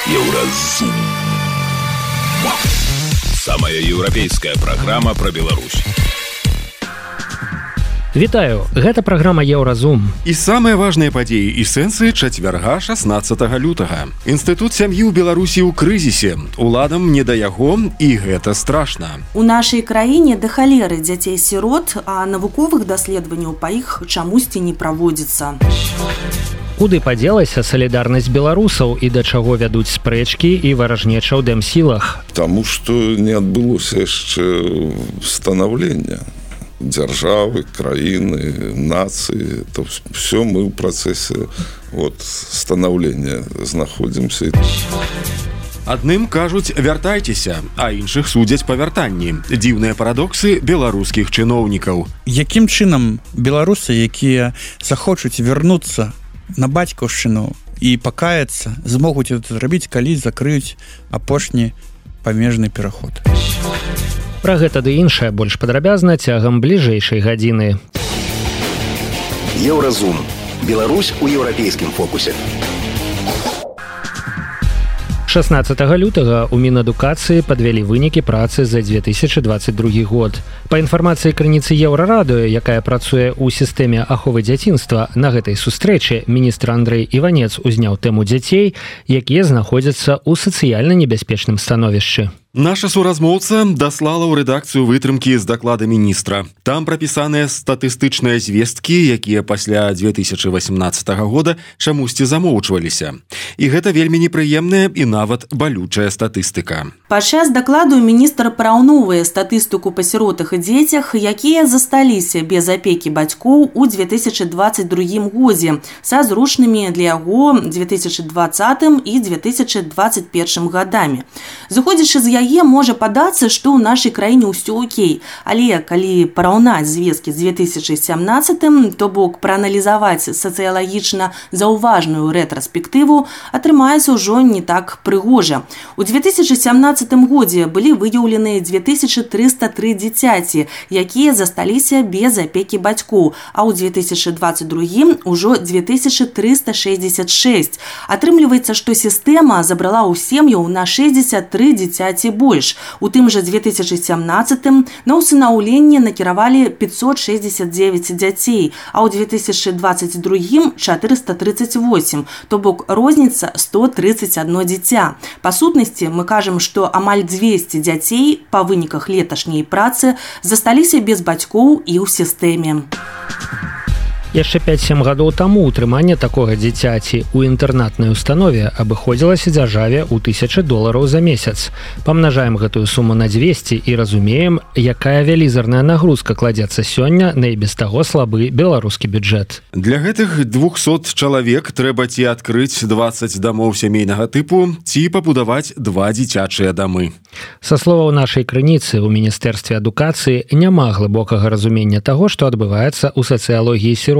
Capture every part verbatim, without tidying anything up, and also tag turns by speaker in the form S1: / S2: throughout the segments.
S1: Еўразум. Самая еўрапейская праграма пра Беларусь.
S2: Вітаю, гэта праграма Еўразум.
S3: І самыя важныя падзеі і сэнсы чацвярга шаснаццатага лютага. Інстытут сям'і ў Беларусі ў крызісе. Уладам не да яго, і гэта страшна.
S4: У нашай краіне да халеры дзяцей-сірот, а навуковых даследаванняў па іх чамусьці не праводзіцца.
S2: Куды падзелася салідарнасць беларусаў і да чаго вядуць спрэчкі і варажнеча ў дэмсілах?
S5: Таму што не адбылося яшчэ станаўлення дзяржавы, краіны, нацыі. То все мы ў працэсе вот, станаўлення знаходзімся.
S3: Адным кажуць «вяртайцеся», а іншых судзяць па вяртанні. Дзіўныя парадоксы беларускіх чыноўнікаў.
S6: Якім чынам беларусы, якія захочуць вярнуцца на бацькаўшчыну і пакаяцца, змогуць это зрабіць, калі закрыюць апошні памежны пераход?
S2: Пра гэта ды іншае больш падрабязна цягам бліжэйшай гадзіны.
S1: Еўразум. Беларусь у еўрапейскім фокусе.
S2: шаснаццатага лютага ў Мінадукацыі падвялі вынікі працы за дзве тысячы дваццаць другі год. Па інфармацыі крыніцы Еўрарадыё, якая працуе ў сістэме аховы дзяцінства, на гэтай сустрэчы міністр Андрэй Іванец узняў тэму дзяцей, якія знаходзяцца ў сацыяльна небяспечным становішчы.
S3: Наша суразмоўца даслала ў рэдакцыю вытрымкі з даклада міністра. Там прапісаныя статыстычныя звесткі, якія пасля дзве тысячы васемнаццатага года чамусьці замоўчваліся. І гэта вельмі непрыемная і нават балючая статыстыка.
S4: Падчас дакладу міністр параўноўвае статыстыку па сіротах і дзецях, якія засталіся без апекі бацькоў у дзве тысячы дваццаць другім годзе, са зручнымі для яго дзве тысячы дваццатым і дзве тысячы дваццаць першым гадамі. Зыходзячы з яе можа падацца, што ў нашай краіне ўсё окей, але калі параўнаць звесткі з дзве тысячы сямнаццатым, то бок прааналізаваць сацыялагічна заўважную рэтраспектыву, атрымаецца ўжо не так прыгожа. У дзве тысячы сямнаццатым годзе былі выяўлены дзве тысячы трыста тры дзіцяці, якія засталіся без апекі бацькоў, а ў дзве тысячы дваццаць другім ужо дзве тысячы трыста шэсцьдзесят шэсць. Атрымліваецца, што сістэма забрала ў сем'яў на шэсцьдзесят тры дзіцяці больш. У тым жа дзве тысячы сямнаццатым на ўсынаўленне накіравалі пятьсот шэсцьдесят девять дзяцей, а ў дзве тысячы дваццаць другім чатырыста трыццаць восемь, то бок розніца сто трыццаць адно дзіця. Па сутнасці мы кажам, што амаль дзвесце дзяцей па выніках леташняй працы засталіся без бацькоў і ў сістэме.
S2: Яшчэ пяць-сем гадоў таму ўтрыманне такога дзіцяці ў інтэрнатнай установе абыходзілася дзяржаве ў тысячы долараў за месяц. Памнажаем гэтую суму на дзвесце і разумеем, якая вялізарная нагрузка кладзецца сёння на і без таго слабы беларускі бюджэт.
S3: Для гэтых двухсот чалавек трэба ці адкрыць дваццаць дамоў сямейнага тыпу, ці пабудаваць два дзіцячыя дамы.
S2: Са словаў нашай крыніцы, у Міністэрстве адукацыі няма глыбокага разумення таго, што адбываецца ў сацыялогіі сірот.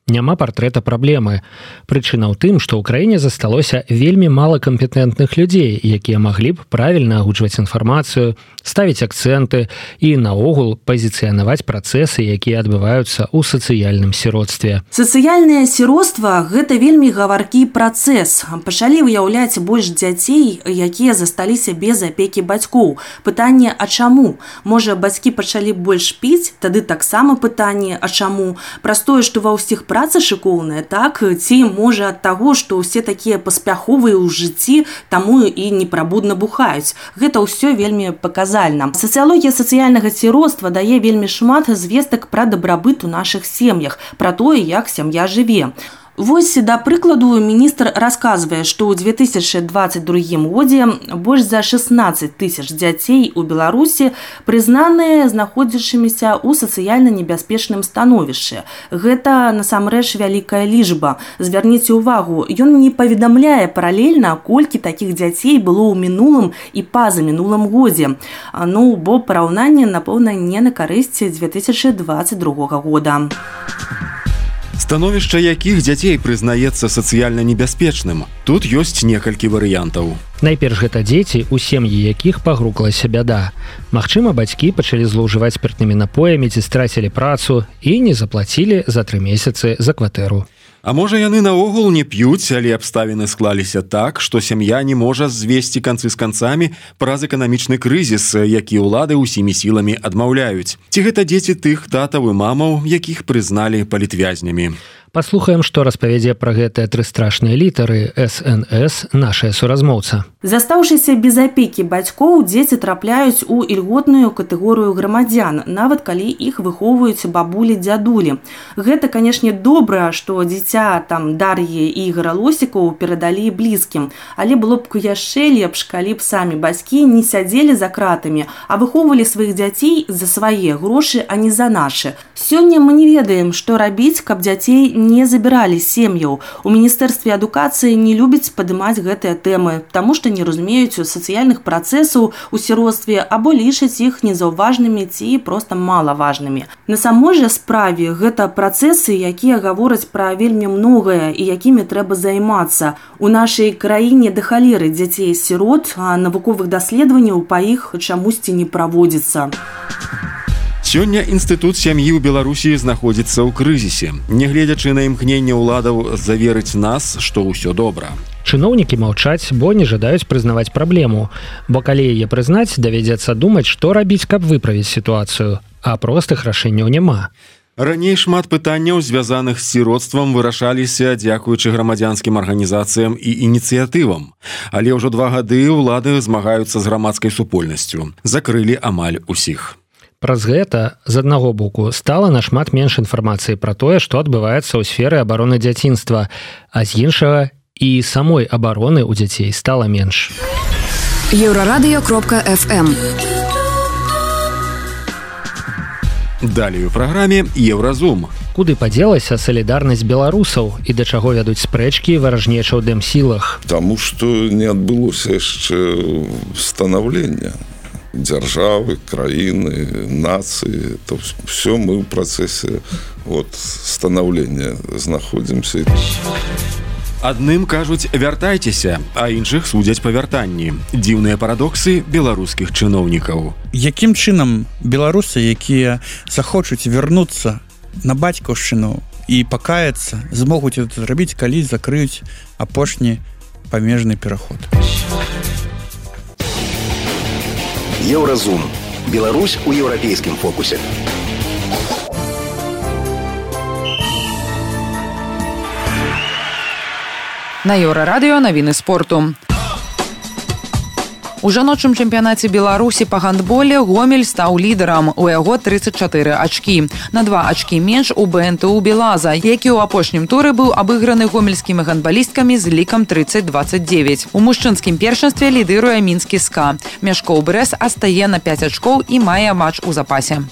S2: Няма партрэта праблемы. Прычына ў тым, што ў краіне засталося вельмі мала кампетэнтных людзей, якія маглі б правільна агучваць інфармацыю, ставіць акцэнты і наогул пазіцыянаваць працэсы, якія адбываюцца ў сацыяльным сіротстве.
S4: Сацыяльнае сіроцтва – гэта вельмі гаваркі працэс. Пачалі выяўляць больш дзяцей, якія засталіся без апекі бацькоў. Пытанне, а чаму? Можа, бацькі пачалі больш піць? Тады таксама пытанне, а чаму? Праз тое, што ва ўсіх праца шыкоўная, так? Ці можа ад таго, што ўсе такія паспяховыя ў жыцці, таму і непрабудна бухаюць. Гэта ўсё вельмі паказальна. Сацыялогія сацыяльнага сіроцтва дае вельмі шмат звестак пра дабрабыт у нашых сем'ях, пра тое, як сям'я жыве. Вось, да прыкладу, міністр расказвае, што ў дзве тысячы дваццаць другім годзе больш за шаснаццаць тысяч дзяцей у Беларусі прызнаныя знаходзячымися ў сацыяльна небяспечным становішчы. Гэта, насамрэч, вялікая лічба. Звярніце ўвагу, ён не паведамляе паралельна, колькі такіх дзяцей было ў мінулым і па-за мінулым годзе. Ну, бо параўнанне, напэўна, не на карысць дзве тысячы дваццаць другога года.
S3: Становішча якіх дзяцей прызнаецца сацыяльна небяспечным? Тут ёсць некалькі варыянтаў.
S2: Найперш гэта дзеці, у сем'і якіх пагрукалася бяда. Магчыма, бацькі пачалі злоўжываць спіртнымі напоямі ці страцілі працу і не заплацілі за тры месяцы за кватэру.
S3: А можа яны наогул не п'юць, але абставіны склаліся так, што сям'я не можа звесці канцы з канцамі праз эканамічны крызіс, які ўлады ўсімі сіламі адмаўляюць. Ці гэта дзеці тых татаў і мамаў, якіх прызналі палітвязнямі?
S2: Паслухаем, што распавядзе пра гэтыя тры страшныя літары эс эн эс нашая суразмоўца.
S4: Застаўшыся без апекі бацькоў, дзеці трапляюць у ільготную катэгорыю грамадзян, нават калі іх выхоўваюць бабулі-дзядулі. Гэта, канешне, добра, што дзіця там Дар'і і Ігара Лосікаў перадалі блізкім, але было б яшчэ лепш, калі б самі бацькі не сядзелі за кратамі, а выхоўвалі сваіх дзяцей за свае грошы, а не за нашы. Сёння мы не ведаем, што рабіць, каб дзяцей не забіралі сем'яў. У Міністэрстве адукацыі не любяць падымаць гэтыя тэмы, таму што не разумеюць сацыяльных працэсаў у сіроцтве або лічаць іх незаўважнымі ці проста малаважнымі. На самой жа справе гэта працэсы, якія гавораць пра вельмі многае і якімі трэба займацца. У нашай краіне да халеры дзяцей-сірот, а навуковых даследаванняў па іх чамусьці не праводзіцца.
S3: Сёння інстытут сям'і ў Беларусі знаходзіцца ў крызісе, нягледзячы на імкненне ўладаў заверыць нас, што ўсё добра.
S2: Чыноўнікі маўчаць, бо не жадаюць прызнаваць праблему, бо калі яе прызнаць, давядзецца думаць, што рабіць, каб выправіць сітуацыю, а простых рашэнняў няма.
S3: Раней шмат пытанняў, звязаных з сіроцтвам, вырашаліся дзякуючы грамадзянскім арганізацыям і ініцыятывам. Але ўжо два гады ўлады змагаюцца з грамадскай супольнасцю. Закрылі амаль усіх.
S2: Праз гэта, з аднаго боку, стала нашмат менш інфармацыі пра тое, што адбываецца ў сферы абароны дзяцінства, а з іншага і самой абароны ў дзяцей стала менш.
S7: еўрарадыё кропка эф эм.
S3: Далей у праграме Еўразум.
S2: Куды падзелася салідарнасць беларусаў і да чаго вядуць спрэчкі варажнеча ў дэмсілах?
S5: Таму што не адбылося яшчэ станаўлення дзяржавы, краіны, нацыі, то все мы ў працэсе вот, станаўлення знаходзімся.
S3: Адным кажуць вяртайцеся, а іншых судзяць па вяртанні. Дзіўныя парадоксы беларускіх чыноўнікаў.
S6: Якім чынам беларусы, якія захочуць вярнуцца на бацькаўшчыну і пакаяцца, змогуць это зрабіць, калі закрыюць апошні памежны пераход?
S1: Еўразум. Беларусь у еўрапейскім фокусе.
S8: На Еўрарадыё навіны спорту. У жаночым чэмпіянаце Беларусі па гандболе Гомель стаў лідарам. У яго трыццаць чатыры ачкі. На два ачкі менш у бэ эн тэ у Белаза, які ў апошнім туры быў абыграны гомельскімі гандбалісткамі з лікам трыццаць дваццаць дзевяць. У мужчынскім першынстве лідыруе мінскі СКА. Мяшкоў Брэс астае на пяць ачкоў і мае матч у запасе.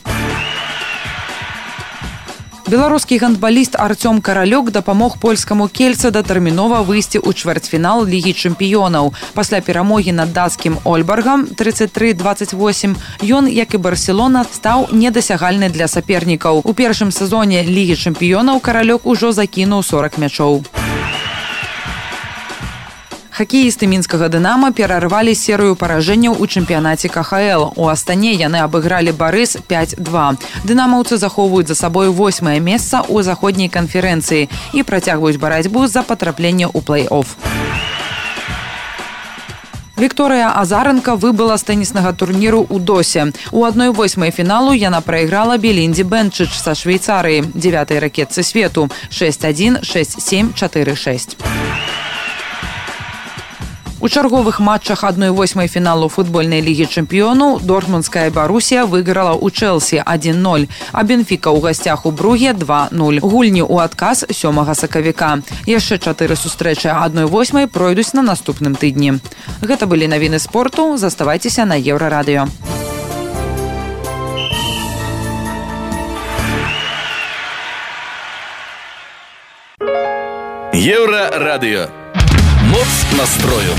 S8: Беларускі гандбаліст Артём Каралёк дапамог польскаму Кельце датэрмінова выйсці ў чвэрцьфінал Лігі чэмпіёнаў. Пасля перамогі над дацкім Ольбаргам трыццаць тры дваццаць восем ён, як і Барселона, стаў недасягальны для сапернікаў. У першым сезоне Лігі чэмпіёнаў Каралёк ужо закінуў сорак мячоў. Хакеісты мінскага «Дынама» перарвалі серыю паражэнняў у чэмпіянаце ка ха эл. У Астане яны абыгралі «Барыс» пяць два. Дынамаўцы захоўваюць за сабой восьмае месца ў заходняй канферэнцыі і працягваюць барацьбу за патрапленне ў плэй-оф. Вікторыя Азаренка выбыла з тэніснага турніру ў Досе. У адной восьмай фіналу яна прайграла Белінді Бенчыч са Швейцарыі, дзявятай ракетцы свету, шэсць адзін, шэсць сем, чатыры шэсць. У чарговых матчах адной восьмай фіналу футбольнай лігі чэмпіёнаў дортмундская Барусія выйграла ў Чэлсі адзін ноль, а Бенфіка ў гасцях у Бруге два нуль. Гульні ў адказ сёмага сакавіка. Яшчэ чатыры сустрэчы адной восьмай пройдуць на наступным тыдні. Гэта былі навіны спорту. Заставайцеся на Еўрарадыё.
S1: Еўрарадыё. Моц настрою.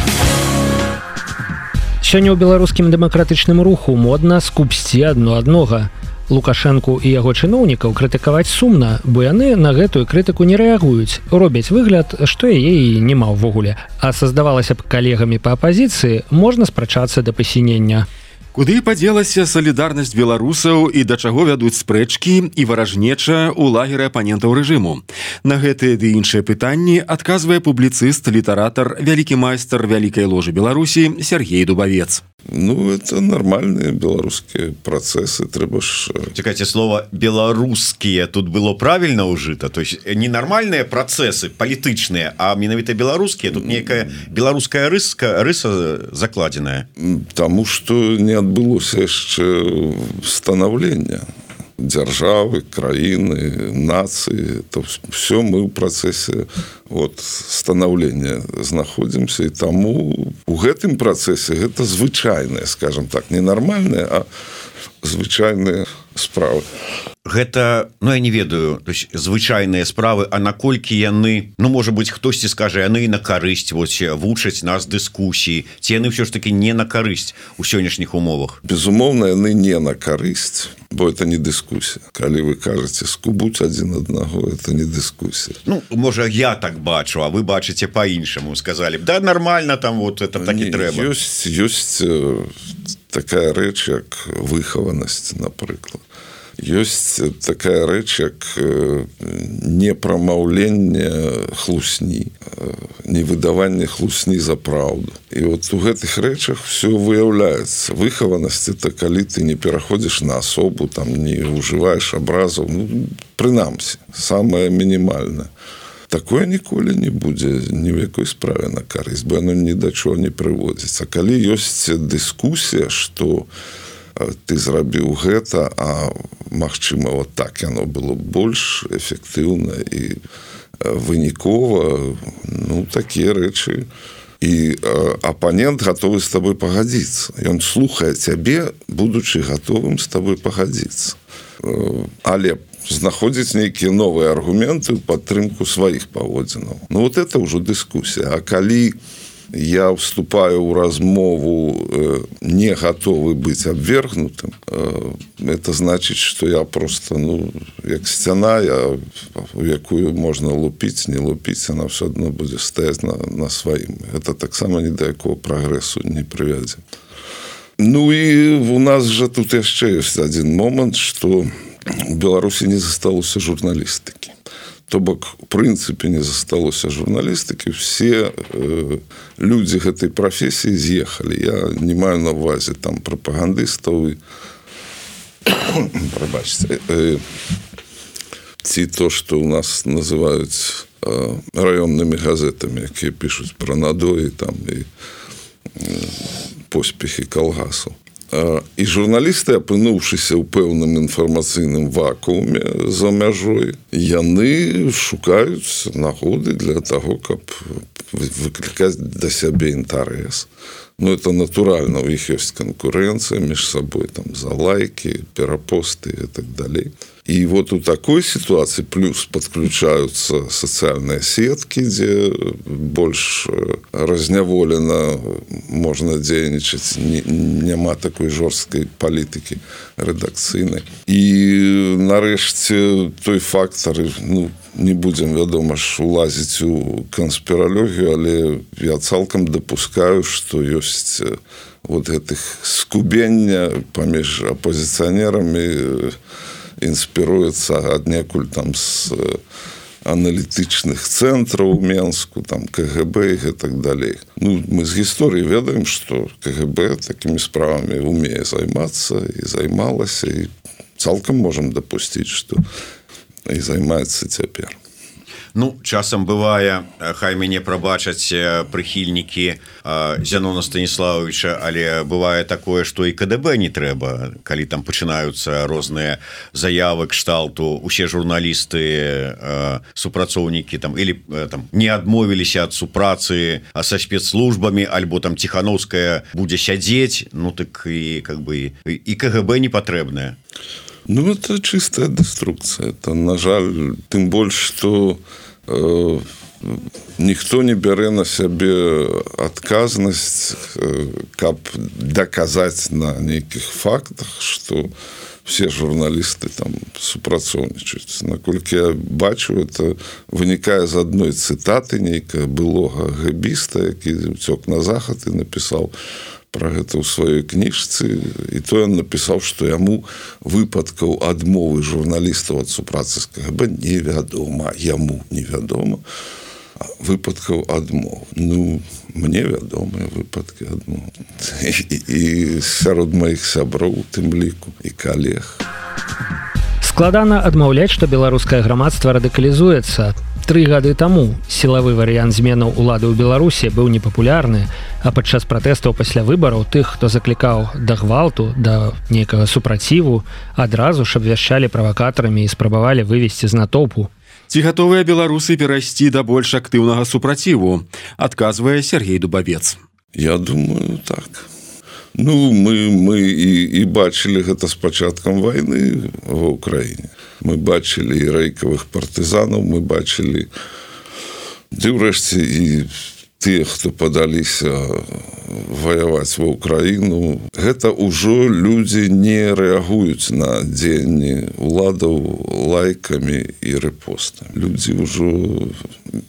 S2: Сёння ў беларускім дэмакратычным руху модна скупсці адно аднога. Лукашэнку і яго чыноўнікаў крытыкаваць сумна, бо яны на гэтую крытыку не рэагуюць, робяць выгляд, што яе і няма ўвогуле. А са, здавалася б, калегамі па апазіцыі можна спрачацца да пасінення.
S3: Куды падзелася салідарнасць беларусаў і да чаго вядуць спрэчкі і варажнеча ў лагеры апанентаў рэжыму? На гэтыя ды іншыя пытанні адказвае публіцыст, літаратар, вялікі майстар вялікай ложы Беларусі Сергей Дубавец.
S5: Ну, это нормальные белорусские процессы, трэба ж...
S9: Чекайте, слово «белорусские» тут было правильно ужито? То есть не нормальные процессы, политичные, а менавіта белорусские? Тут некая белорусская рыска, рыса закладенная?
S5: Тому, что не адбылося яшчэ становлення дзяржавы, краіны, нацыі, то все мы ў працэсе вот, станаўлення знаходзімся, і таму у гэтым працэсе гэта звычайныя, скажем так, не нармальныя, а звычайныя справы.
S9: Гэта, ну я не ведаю, то есть звычайныя справы, а наколькі яны, ну можа быць хтосьці скажа, яны на карысць вось вучаць нас дыскусіі, ці яны ўсё ж таки не на карысць у сённяшніх умовах?
S5: Безумоўна, яны не на карысць, бо это не дыскусія. Калі вы кажаце скубуць адзін аднаго, это не дыскусія.
S9: Ну, можа я так бачу, а вы бачыце по-іншаму, сказалі б, да нормально там вот это так і трэба.
S5: Ёсць, ёсць такая рэч, як выхаванасць, напрыклад. Ёсць такая рэч, як непрамаўленне хлусні, невыдаванне хлусні за праўду. І вот у гэтых рэчах все выяўляецца. Выхаванасць – это калі ты не пераходзіш на асобу, там не ўжываеш абразаў, ну, прынамсі, самае мінімальнае. Такое ніколі не будзе ні ў якой справе на карысць, бо яно ні да чого не прыводзіць. А калі ёсць дыскусія, што ты зрабіў гэта, а магчыма, вот так яно было больш эфектыўна і вынікова, ну, такія рэчы. І апанент гатовы з табой пагадзіцца. Ён слухае цябе, будучы гатовым з табой пагадзіцца. Але знаходзіць нейкія новыя аргументы ў падтрымку сваіх паводзінаў. Ну, вот это ўжо дыскусія. А калі я вступаю ў размову не готовы быць абвергнутым, это значыць, што я просто, ну, як сцяна, я, у якую можна лупіць, не лупіць, она все адно будзе стаяць на, на сваім. Это таксама ні да якого прагрэсу не прывядзе. Ну і у нас жа тут яшчэ ёсць адзін момант, што у Беларусі не засталося журналістыкі. То бок, в прынцыпе, не засталося журналістыкі, все э, людзі гэтай прафесіі з'ехалі. Я не маю на ўвазе там прапагандыстаў і прабачце, э, ці то, што ў нас называюць э, раённымі газетамі, якія пішуць пра надоі там і э, поспехі калгасаў. І журналісты, апынуўшыся ў пэўным інфармацыйным вакууме за мяжой, яны шукаюць нагоды для таго, каб выклікаць да сябе інтарэс. Ну, это натуральна, у іх ёсць канкурэнцыя між сабой, там, за лайки, перапосты і так далей. И вот у такой ситуации плюс подключаются социальные сетки, где больше разняволено можно дзейнічаць, няма такой жорсткай палітыкі рэдакцыйнай. І нарэшце той фактор, ну, не будем, вядома ж, улазіць у канспіралогію, але я цалкам дапускаю, што ёсць вот гэтых скубення паміж апозіцыянерамі, інспіруецца аднекуль там з аналітычных цэнтраў у Менску, там КГБ і так далей. Ну, мы з гісторыі ведаем, што КГБ такімі справамі умее займацца і займалася, і цалкам можам дапусціць, што і займаецца цяпер.
S9: Ну, часам бывае, хай мяне прабачаць прыхільнікі Зянона Станіславовича, але бывае такое, што і КДБ не трэба, калі там пачынаюцца розныя заявы кшталту, усе журналісты, супрацоўнікі там, или там, не адмовіліся ад супрацы са спецслужбамі, альбо там Ціхановская будзе сядзець, ну так і, как бы, і КГБ не патрэбная.
S5: Ну, это чистая деструкция. Это, на жаль, тым больш, што э, ніхто не бярэ на сябе адказнасць, э, каб даказаць на нейкіх фактах, што все журналісты там супрацоўнічаюць. Наколькі я бачу, это вынікае з адной цытаты нейкая былога гэбіста, які уцёк на захад і напісаў: пра гэта ў сваёй кніжцы, і то ён напісаў, што яму выпадкаў адмовы журналістаў ад супрацы з КГБ невядома, яму невядома выпадкаў адмов. Ну, мне вядомыя выпадкі адмов. І, і сярод маіх сяброў, тым ліку, і калег.
S2: Складана адмаўляць, што беларускае грамадства радыкалізуецца. Тры гады таму сілавы варыянт зменаў улады ў Беларусі быў непапулярны, а падчас пратэстаў пасля выбараў тых, хто заклікаў да гвалту, да нейкага супраціву, адразу ж абвяшчалі правакатарамі і спрабавалі вывесці з натоўпу.
S3: Ці гатовыя беларусы перайсці да больш актыўнага супраціву, адказвае Сергей Дубавец.
S5: Я думаю, так. Ну, мы, мы і, і бачылі гэта з пачаткам вайны ва ўкраіне. Мы бачылі і рэйкавых партызанаў, мы бачылі, ды ўрэшце і тыя, хто падаліся ваяваць ва ўкраіну. Гэта ўжо людзі не рэагуюць на дзеянні уладаў лайкамі і рэпостамі. Людзі ўжо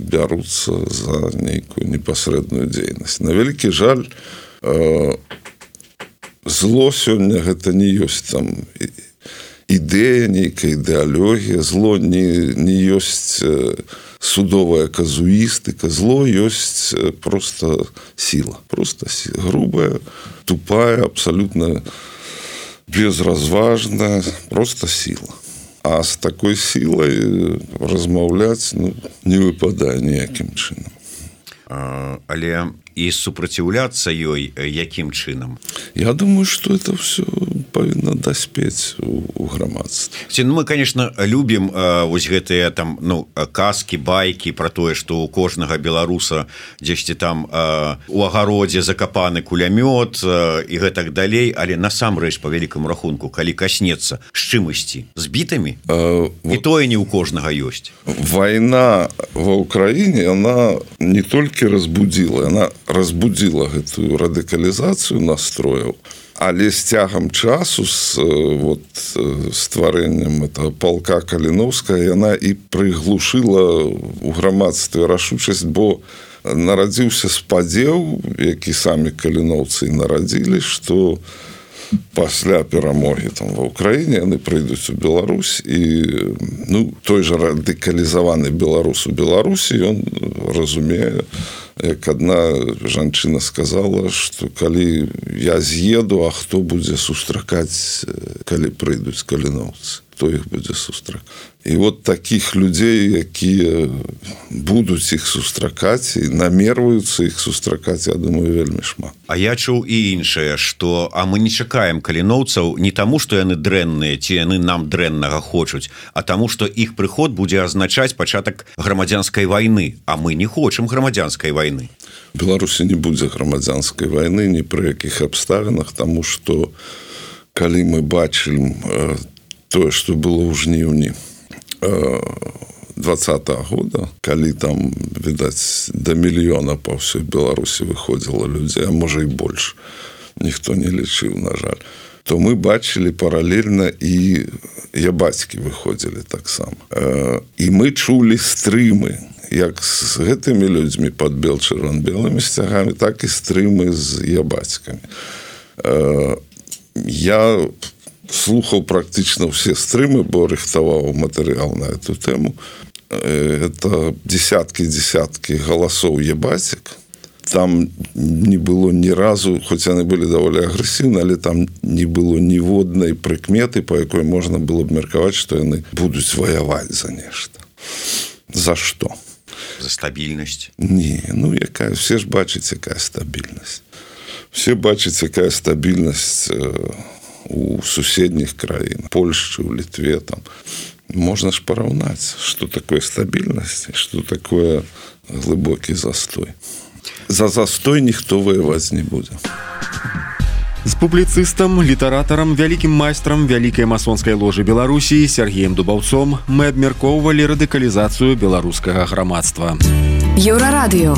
S5: бяруцца за нейкую непасрэдную дзейнасць. На вялікі жаль, зло сёння гэта не ёсць там ідэя, нейкая ідэалогія, зло не, не ёсць судовая казуістыка, зло ёсць просто сила, просто сила, грубая, тупая, абсолютно безразважная, просто сила. А з такой сілай размаўляць, ну, не выпадае ніякім чынам.
S9: А, але і супраціўляцца ёй якім чынам?
S5: Я думаю, что это все павінна даспець у, у грамадстве.
S9: Ну, мы, конечно, любім э, вось гэтыя там, ну, казкі, байкі про тое, што у кожнага беларуса дзесьці там э, у агародзе закапаны кулямёт э, і гэтак далей, але насамрэч па вялікаму рахунку, калі каснецца з чымасьці, з бітамі, э, і тое не ў кожнага ёсць.
S5: Вайна ва ўкраіне, она не толькі разбудзіла, она разбудзіла гэтую радыкалізацыю настрояў, але з цягам часу з вот, стварэннем этого палка Каліновская яна і прыглушыла ў грамадстве рашучасць, бо нарадзіўся спадзеў, які самі каліноўцы і нарадзілі, што пасля перамогі там ва ўкраіне яны прыйдуць у Беларусь, і ну, той жа радыкалізаваны беларус у Беларусі, ён разумее, як адна жанчына сказала, што калі я з'еду, а хто будзе сустракаць, калі прыйдуць каліноўцы, хто іх будзе сустракаць. І вот такіх людзей, якія будуць іх сустракаць і намерваюцца іх сустракаць, я думаю, вельмі шмат.
S9: А я чуў і іншае, што а мы не чакаем каліноўцаў не таму, што яны дрэнныя, ці яны нам дрэннага хочуць, а таму, што іх прыход будзе азначаць пачатак грамадзянскай вайны, а мы не хочам грамадзянскай вайны.
S5: У Беларусі не будзе грамадзянскай вайны ні пры якіх абставінах, таму што калі мы бачым тое, што было ў жніўні двадцатага года, калі там, відаць, да мільёна па ўсёй Беларусі выходзіла людзей, а можа і больш, ніхто не лічыў, на жаль, то мы бачылі паралельна і ябацькі выходзілі таксама. І мы чулі стрымы, як з гэтымі людзьмі пад бел-чырвон-белымі сцягамі, так і стрымы з ябацькамі. Я слухаў практычна ўсе стрымы, бо рыхтаваў матэрыял на эту тэму. Это десяткі-десяткі галасоў ябацек. Там не было ні разу, хоць яны былі даволі агрэсіўны, але там не было ніводнай прыкметы, па якой можна было б меркаваць, што яны будуць ваяваць за нешта. За што?
S9: За стабільнасць?
S5: Не, ну якая, все ж бачаць, якая стабільнасць. Все бачаць, якая стабільнасць у суседніх краін, Польшчы, у Літве, там. Можна ж параўнаць, што такое стабільнасць, што такое глыбокі застой. За застой ніхто ваяваць не будзе.
S3: З публіцыстам, літаратарам, вялікім майстрам вялікай масонскай ложы Беларусі Сергеем Дубаўцом мы абмяркоўвалі радыкалізацыю беларускага грамадства.
S7: Еўрарадыё.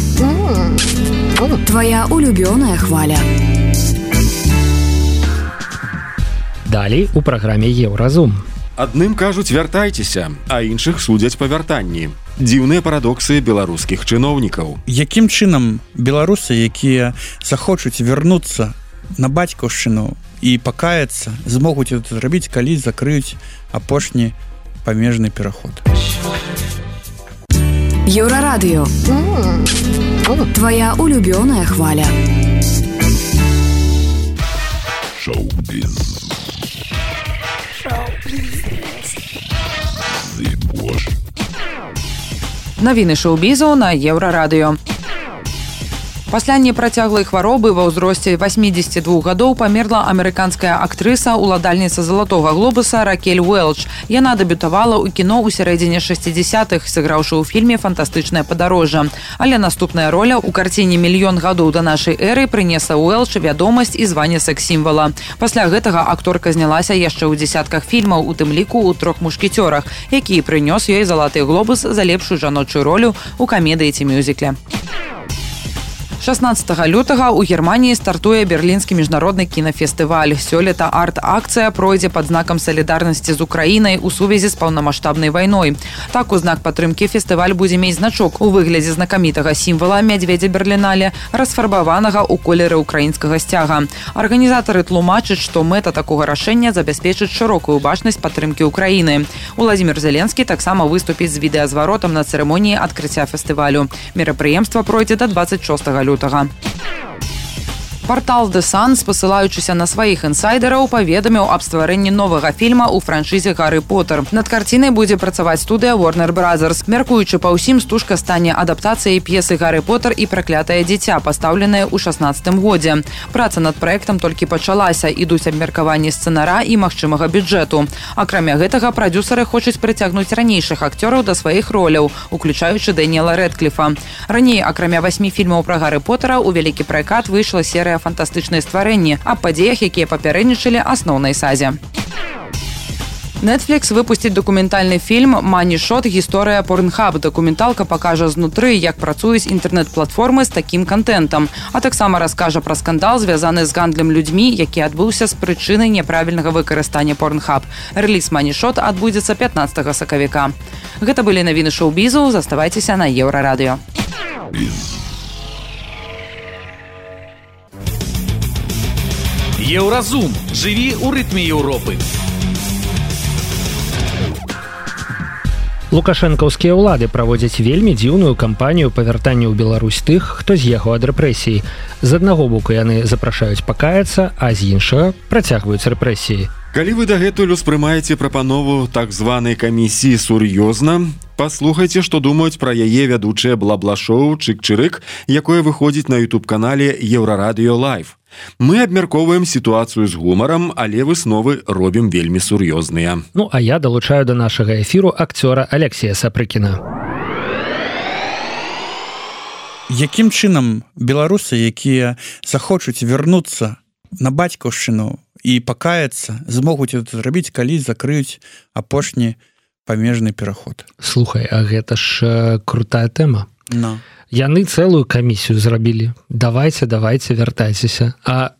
S7: Твоя улюбёная хваля.
S2: Далей у праграме Еўразум.
S3: Адным кажуць вяртайцеся, а іншых судзяць па вяртанні. Дзіўныя парадоксы беларускіх чыноўнікаў.
S6: Якім чынам беларусы, якія захочуць вярнуцца на бацькаўшчыну і пакаяцца, змогуць это зрабіць, калі закрыюць апошні памежны пераход.
S7: Еўрарадыё. Твоя улюбёная хваля.
S10: Шоу-біз.
S8: Навіны шоу-бізу на Еўрарадыё. Пасля непрацяглай хваробы ва ўзросце васьмідзесяці двух гадоў памерла амерыканская актрыса, уладальніца залатога глобуса Ракель Уэлч. Яна дэбютавала ў кіно ў сярэдзіне шэсцідзесятых, сыграўшы ў фільме «Фантастычнае падарожжа». Але наступная роля ў карціне «Мільён гадоў да нашай эры» прынесла Уэлч вядомасць і званне секс-сімвала. Пасля гэтага акторка знялася яшчэ ў дзесятках фільмаў, у тым ліку ў «Трох мушкецёрах», які прынёс ёй залаты глобус за лепшую жаночую ролю ў камедыі ці мюзікле. шаснаццатага лютага ў Германіі стартуе Берлінскі міжнародны кінафестываль. Сёлета арт-акцыя пройдзе пад знакам салідарнасці з Украінай у сувязі з паўнамаштабнай вайной. Так, у знак падтрымкі фестываль будзе мець значок у выглядзе знакамітага сімвала мядзведзя Берлінале, расфарбаванага ў колеры украінскага сцяга. Арганізатары тлумачаць, што мэта такога рашэння забяспечыць шырокую бачнасць падтрымкі Украіны. Уладзімір Зеленскі таксама выступіць з відэазваротам на цырымоніі адкрыцця фестывалю. Мерапрыемства пройдзе да дваццаць шостага лютага. Партал The Sun, спасылаючыся на сваіх інсайдераў, паведаміў аб стварэнні новага фільма ў франшызе «Гарры Поттер». Над карцінай будзе працаваць студыя Warner Brothers. Мяркуючы па ўсім, стужка стане адаптацыяй п'есы «Гарры Поттер і праклятае дзіця», пастаўленая ў шаснаццатым годзе. Праца над праектам толькі пачалася, ідуць абмеркаванні сцэнара і магчымага бюджэту. Акрамя гэтага, прадзюсары хочуць прыцягнуць ранейшых акцёраў да сваіх роляў, уключаючы Дэніела Рэдкліфа. Раней, акрамя васьмі фільмаў пра Гарры Поттера, у вялікі пракат выйшла серыя «Фантастычныя стварэнні» аб падзеях, якія папярэднічалі асноўнай сазе. Netflix выпусціць дакументальны фільм «Money Shot. Гісторыя Pornhub». Дакументалка пакажа знутры, як працуюць інтэрнэт-платформы з такім контентам, а таксама раскажа пра скандал, звязаны з гандлем людзьмі, які адбыўся з прычыны няправільнага выкарыстання Pornhub. Рэліз «Money Shot» адбудзецца пятнаццатага сакавіка. Гэта былі навіны шоу-бізу. Заставайцеся на Еўрарадыё.
S1: Еўразум. Жыві ў рытме Еўропы.
S2: Лукашэнкаўскія ўлады праводзяць вельмі дзіўную кампанію па вяртанню ў Беларусь тых, хто з'ехаў ад рэпрэсій. З аднаго боку яны запрашаюць пакаяцца, а з іншага працягваюць рэпрэсіі.
S3: Калі вы дагэтуль успрымаеце прапанову так званай камісіі сур'ёзна, паслухайце, што думаюць пра яе вядучае бла-бла-шоу «Чык-чырык», якое выходзіць на ютуб-канале «Еўрарадыё Лайв». Мы абмяркоўваем сітуацыю з гумарам, але высновы робім вельмі сур'ёзныя.
S2: Ну, а я далучаю да нашага эфіру акцёра Алексея Сапрыкіна.
S6: Якім чынам беларусы, якія захочуць вярнуцца на бацькаўшчыну і пакаяцца, змогуць это зрабіць, калі закрыюць апошні памежны пераход?
S2: Слухай, а гэта ж крутая тэма.
S6: No.
S2: Яны цэлую камісію зрабілі. Давайце, давайце, вяртайцеся. А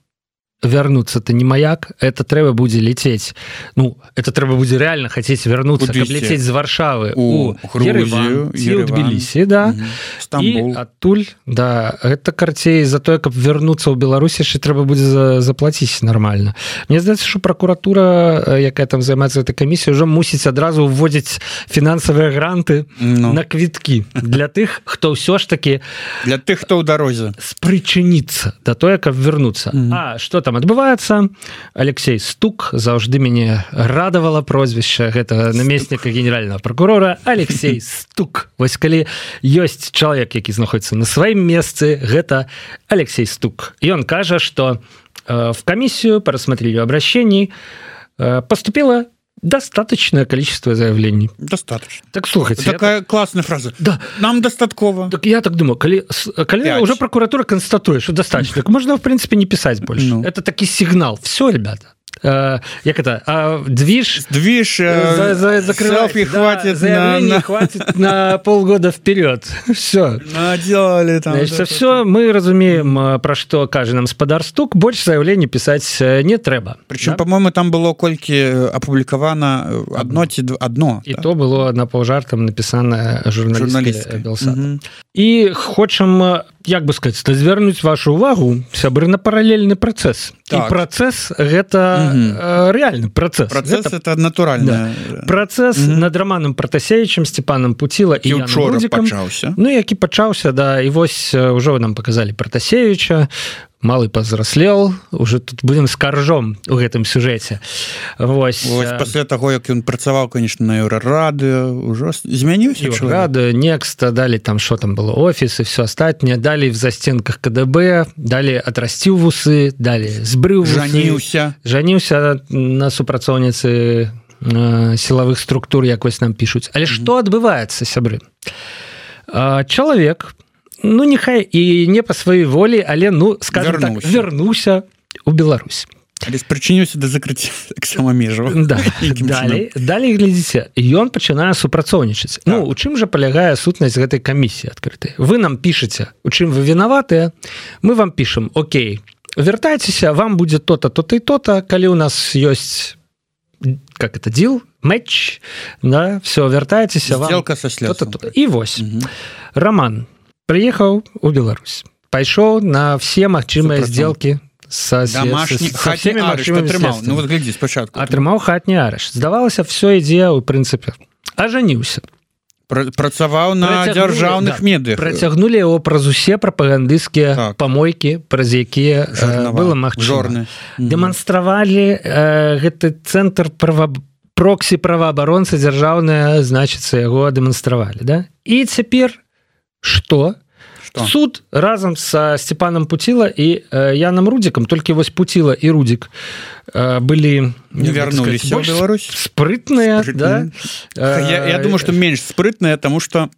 S2: вярнуцца-то не маяк, это трэба будзе летець. Ну, это трэба будзе реально хацець вярнуцца, каб летець з Варшавы у Ереван, ці ў Тбілісі, да.
S6: Стамбул.
S2: І адтуль, да, гэта карцей за тое, каб вярнуцца ў Беларусі, яшчэ трэба будзе заплаціць нормально. Мне здаецца, што пракуратура, якая там займаецца этой камісіяй, ўжо мусіць адразу ўводзіць фінансавыя гранты
S6: no.
S2: на квіткі для тых, хто ўсё ж такі
S6: для тых, хто ў дарозе
S2: спрычыніцца да тое, каб вярнуцца. Mm. А што там адбываецца? Алексей Стук, заўжды мяне радавала прозвішча гэтага намесніка генеральнага прокурора. Алексей Стук. Вось калі ёсць чалавек, які знаходіцца на сваім месцы, гэта Алексей Стук. Ён кажа, што э, в комиссию по рассмотрению обращений э, поступило достаточное количество заявлений.
S6: Достаточно.
S2: Так, слухайте.
S6: Такая
S2: так...
S6: классная фраза.
S2: Да.
S6: Нам достатково.
S2: Так я так думаю, коли, коли уже прокуратура констатует, что достаточно, так можно, в принципе, не писать больше. Ну. Это таки сигнал. Все, ребята. Э, як это? А движ...
S6: Движ
S2: за, за,
S6: селфи да, хватит
S2: заявление
S6: на...
S2: хватит на полгода вперед. Все.
S6: Наделали там.
S2: Значит, да, все, мы разумеем, про что каждый нам спадар Стук, больше заявлений писать не трэба.
S6: Причем,
S2: да?
S6: по-моему, там было кольки опубликовано одно, одно.
S2: И
S6: да?
S2: то было на паўжартам написано журналисткой Белсата.
S6: Угу.
S2: і хочам, як бы сказаць, звярнуць вашу увагу, сябры, на паралельны працэс. Так. І працэс гэта угу. рэальны працэс.
S6: Працэс гэта, это натуральна.
S2: Да. Працэс угу. над Романом Пратасевічем, Степаном Пуціла і Яном Рудзікам. Ну, які пачаўся, да, і вось ўжо нам паказалі Пратасевіча, малы пазраслел, уже тут будем с каржом у гэтым сюжэце. Вось.
S6: Вось пасля таго, як ён працаваў, конечно, на Еўрарадыё, ўжо змяніўся чалавек.
S2: Еўрарадыё, Некста, далі там што там было, офіс і все астатняе, далі в застенках КДБ, далі атрасціў вусы, далі збрыў вусы.
S6: Жаніўся.
S2: Жаніўся на супрацоўніцы э, сілавых структур, як вось нам пішуць. Але што mm-hmm. адбываецца, сябры? Э, чалавек, ну, нехай і не па сваёй волі, але, ну, скажем вернуўся. так, вернуўся ў Беларусь.
S6: Але спрычыніўся да закрыцця таксама межаў.
S2: Да. Далей, далей, глядзіце, ён пачынае супрацоўнічаць. Так. Ну, у чым жа палягае сутнасць гэтай камісіі адкрытай? Вы нам пішаце, у чым вы вінаватыя, мы вам пішам, окей, вяртайцеся, вам будзе то-то, то-то і то-то, калі ў нас ёсць, как это, дил, матч, да, все, вяртайцеся, вам...
S6: Сделка со следством.
S2: То-то, то-то. І вось, угу. Роман приехал в Беларусь, пошел на все магчымыя сделки со,
S6: домашний,
S2: со всеми магчымымі средствами.
S6: Ну вот гляди, спочатку.
S2: Атрымаў хатні арышт. Здавалася, все ідзе ў прынцыпе. Ажаніўся.
S6: Працаваў на дзяржаўных да, медыях.
S2: Працягнули яго праз усе прапагандысцкія так. помойкі, праз якія э, было магчыма. Дэманстравалі э, гэты цэнтр права... проксі праваабаронцы дзяржаўныя, значыцца, яго дэманстравалі. Да? І цяпер Что? Что? Суд разом со Степаном Пуціла і э, Яном Рудзікам, толькі вось Пуціла і Рудзік э, былі
S6: не вярнуліся ў Беларусь
S2: спрытныя, да?
S6: Я, я думаю, что менш спрытныя, тому что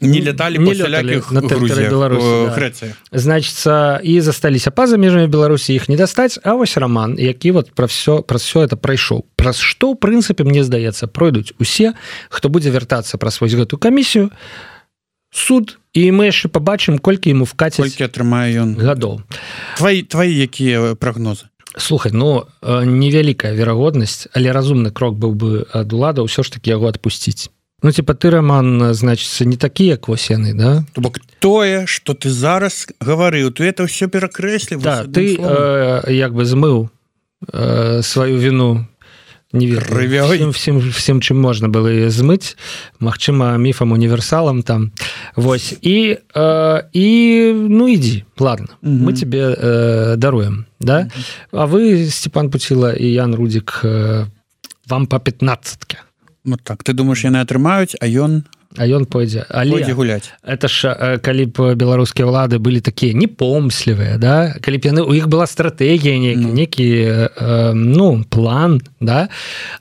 S6: не летали не по всялякіх Грузіях,
S2: да.
S6: Грэцыях.
S2: Значыцца, і засталіся па-за межамі Беларусі, іх не дастаць, а вось Роман, які вот пра все, пра все это прайшоў. Праз што, ў прынцыпе, мне здаецца, пройдуць усе, хто будзе вяртацца праз вось гэту камісію, суд, і мы яшчэ пабачым, колькі яму вкацяць
S6: колькі атрымае ён
S2: гадоў.
S6: Твои, твои якія прагнозы?
S2: Слухай, ну, невялікая верагоднасць, але разумны крок быў бы ад улада ўсё ж такі яго адпусціць. Ну, типа, ты, Роман, значыцца, не такі, як вось яны, да?
S6: То бок тое, што ты зараз гаварыў, ты это ўсё перакрэсліў.
S2: Да, ты э, як бы змыў э, сваю віну не ведаю, всем, всем, всем, чым можна было яе змыць, магчыма, міфам універсалам там. Вось. І, э, і ну, ідзі, ладно, угу. мы тебе э, даруем, да? Угу. А вы, Степан Пуціла і Ян Рудзік, э, вам па пятнаццатке.
S6: Вот так, ты думаешь, яны атрымаюць, а ён...
S2: А ён пойдзе. Але
S6: пойдзе гуляць.
S2: Это ж, калі б беларускія ўлады былі такія непомслівыя, да? Калі б яны, у іх была стратэгія, некі, ну. некі э, ну, план, да?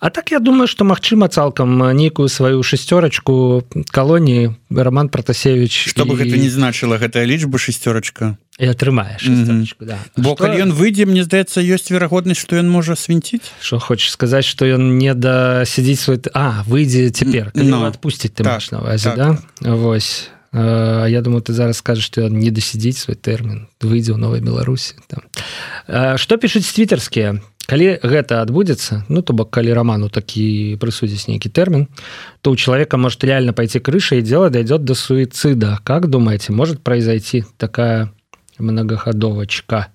S2: А так я думаю, што магчыма цалкам нейкую сваю шестерочку калоніі Роман Пратасевіч.
S6: Што бы і... гэта не значыла, гэтая лічба шестерочка.
S2: І атрымае шестерочку, mm-hmm. да.
S6: Бо што... калі ён выйдзе, мне здаецца, ёсць верагоднасць, што ён можа свінціць.
S2: Што хочаш сказаць, што ён не дасядзіць свой... А, выйдзе цяпер, калі no. адпусціць, ты так, маеш на ўвазе, так. Да? Вось. А, я думаю, ты зараз скажаш, што ён не дасядзіць свой тэрмін, выйдзе ў Новай Беларусі. Там. А, што пішуць твітарскія? Калі гэта адбудзецца, ну, то бок, калі Роману такі прысудзіць нейкі тэрмін, то у человека может реально пойти крыша, и дело дойдет до суицида. Как думаете, может произойти такая многоходовочка?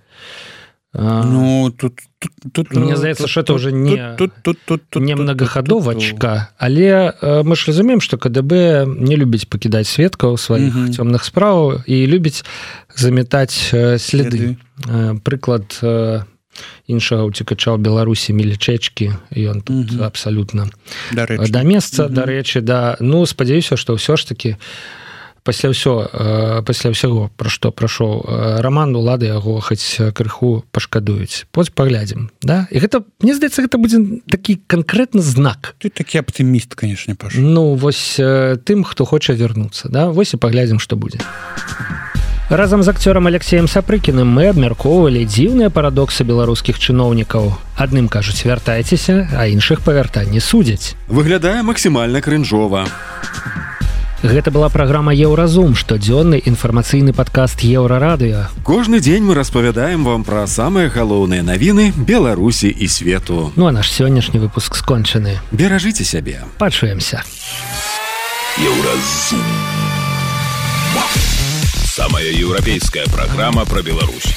S6: Ну, тут, тут, тут
S2: мне здаецца, что это уже не,
S6: тут, тут, тут, тут,
S2: не многоходовочка, але мы ж разумеем, что КДБ не любіць пакідаць сведкаў сваіх угу. цёмных справаў і любіць заметаць следы. Следы. Прыклад іншага уцекача ў Беларусі Мілічэчкі, ён тут угу. абсалютна да месца, угу. дарэчы, да. Ну, спадзяюся, што ўсё ж такі пасля ўсё, пасля ўсяго, пра што прайшоў Роман, улады яго хаць крыху пашкадуюць. Поць паглядзім, да? І гэта, мне здаецца, гэта будзе такі канкрэтны знак.
S6: Ты такі аптыміст, канешне, Паша.
S2: Ну, вось тым, хто хоча вярнуцца, да? Вось і паглядзім, што будзе. Разам з акцёрам Алексеем Сапрыкіным мы абмяркоўвалі дзіўныя парадоксы беларускіх чыноўнікаў. Адным кажуць вяртайцеся, а іншых па вяртанні судзяць.
S3: Выглядае максімальна крынжова.
S2: Гэта была праграма Еўразум, штодзённы інфармацыйны падкаст Еўрарадыё.
S3: Кожны дзень мы распавядаем вам пра самыя галоўныя навіны Беларусі і свету.
S2: Ну а наш сённяшні выпуск скончаны.
S3: Беражыце сябе.
S2: Пачуемся.
S10: Еўразум. Самая европейская программа про Беларусь.